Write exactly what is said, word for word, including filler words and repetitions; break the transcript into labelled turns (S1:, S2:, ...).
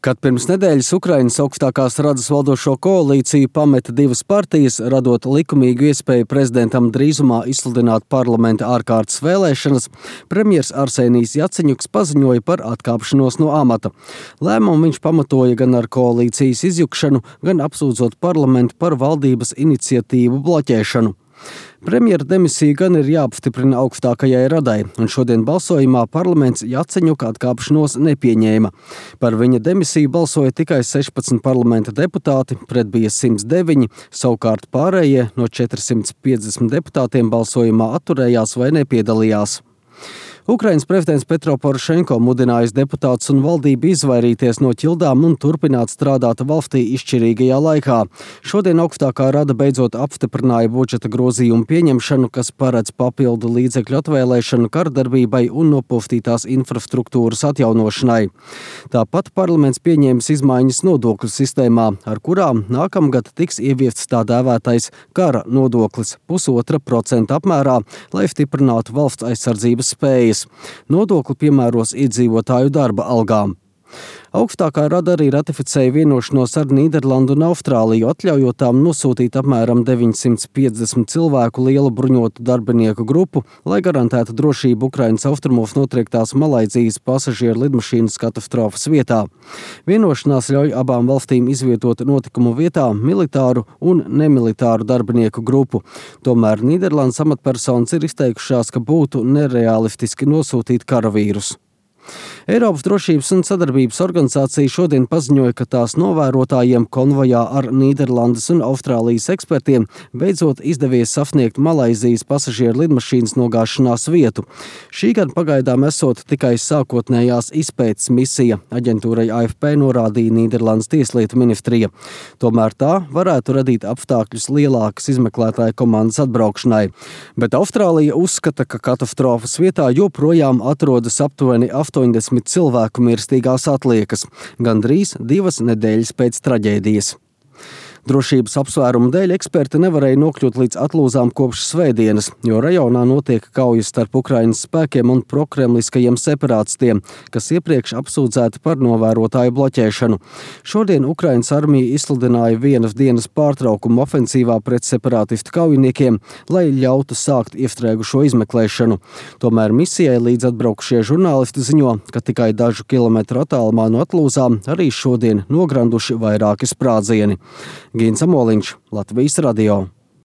S1: Kad pirms nedēļas Ukrainas augstākās radas valdošo koalīciju pameta divas partijas, radot likumīgu iespēju prezidentam drīzumā izsludināt parlamenta ārkārtas vēlēšanas, premjers Arsenijs Jaceņuks paziņoja par atkāpšanos no amata. Lēmumu viņš pamatoja gan ar koalīcijas izjukšanu, gan apsūdzot parlamentu par valdības iniciatīvu bloķēšanu. Premjera demisija gan ir jāapstiprina augstākajai radai, un šodien balsojumā parlaments Jaceņuka atkāpšanos nepieņēma. Par viņa demisiju balsoja tikai sešpadsmit parlamenta deputāti, pret bija simts deviņi, savukārt pārējie no četrsimt piecdesmit deputātiem balsojumā atturējās vai nepiedalījās. Ukrainas prezidents Petro Porošenko mudinājis deputātus un valdību izvairīties no ķildām un turpināt strādāt valstī izšķirīgajā laikā. Šodien augstākā rada beidzot apstiprināja budžeta grozījumu pieņemšanu, kas paredz papildu līdzekļu atvēlēšanu kardarbībai un nopustītās infrastruktūras atjaunošanai. Tāpat parlaments pieņēmis izmaiņas nodokļu sistēmā, ar kurām nākamgad tiks ieviests tā dēvētais kara nodoklis pusotra procenta apmērā, lai stiprinātu valsts aizsardzības spējas. Nodokli piemēros iedzīvotāju darba algām. Augstākā rada arī ratificēja vienošanos ar Nīderlandu un Austrāliju, atļaujot tām nosūtīt apmēram deviņsimt piecdesmit cilvēku lielu bruņotu darbinieku grupu, lai garantētu drošību Ukrainas austrumos notriektās Malaizijas pasažieru lidmašīnas katastrofas vietā. Vienošanās ļauj abām valstīm izvietot notikumu vietā militāru un nemilitāru darbinieku grupu. Tomēr Nīderlandes amatpersonas ir izteikušās, ka būtu nerealistiski nosūtīt karavīrus. Eiropas drošības un sadarbības organizācija šodien paziņoja, ka tās novērotājiem konvojā ar Nīderlandes un Austrālijas ekspertiem beidzot izdevies sasniegt Malaizijas pasažieru lidmašīnas nogāšanās vietu. Šī gan pagaidām esot tikai sākotnējās izpētes misija, aģentūrai A F P norādīja Nīderlandes tieslietu ministrija. Tomēr tā varētu radīt apstākļus lielākas izmeklētāju komandas atbraukšanai. Bet Austrālija uzskata, ka katastrofas vietā joprojām atrodas aptuveni astoņdesmit cilvēku mirstīgās atliekas, gandrīz divas nedēļas pēc traģēdijas. Drošības apsvērumu dēļ eksperti nevarēja nokļūt līdz atlūzām kopš svētdienas, jo rajonā notiek kaujas starp Ukrainas spēkiem un prokremliskajiem separātistiem, kas iepriekš apsūdzēti par novērotāju bloķēšanu. Šodien Ukrainas armija izsludināja vienas dienas pārtraukumu ofensīvā pret separātistu kaujiniekiem, lai ļautu sākt iestrēgušo izmeklēšanu. Tomēr misijai līdz atbraukušie žurnālisti ziņo, ka tikai dažu kilometru attālumā no atlūzām arī šodien nogranduši vairāki sprādzieni. Gīns Amoliņš, Latvijas radio.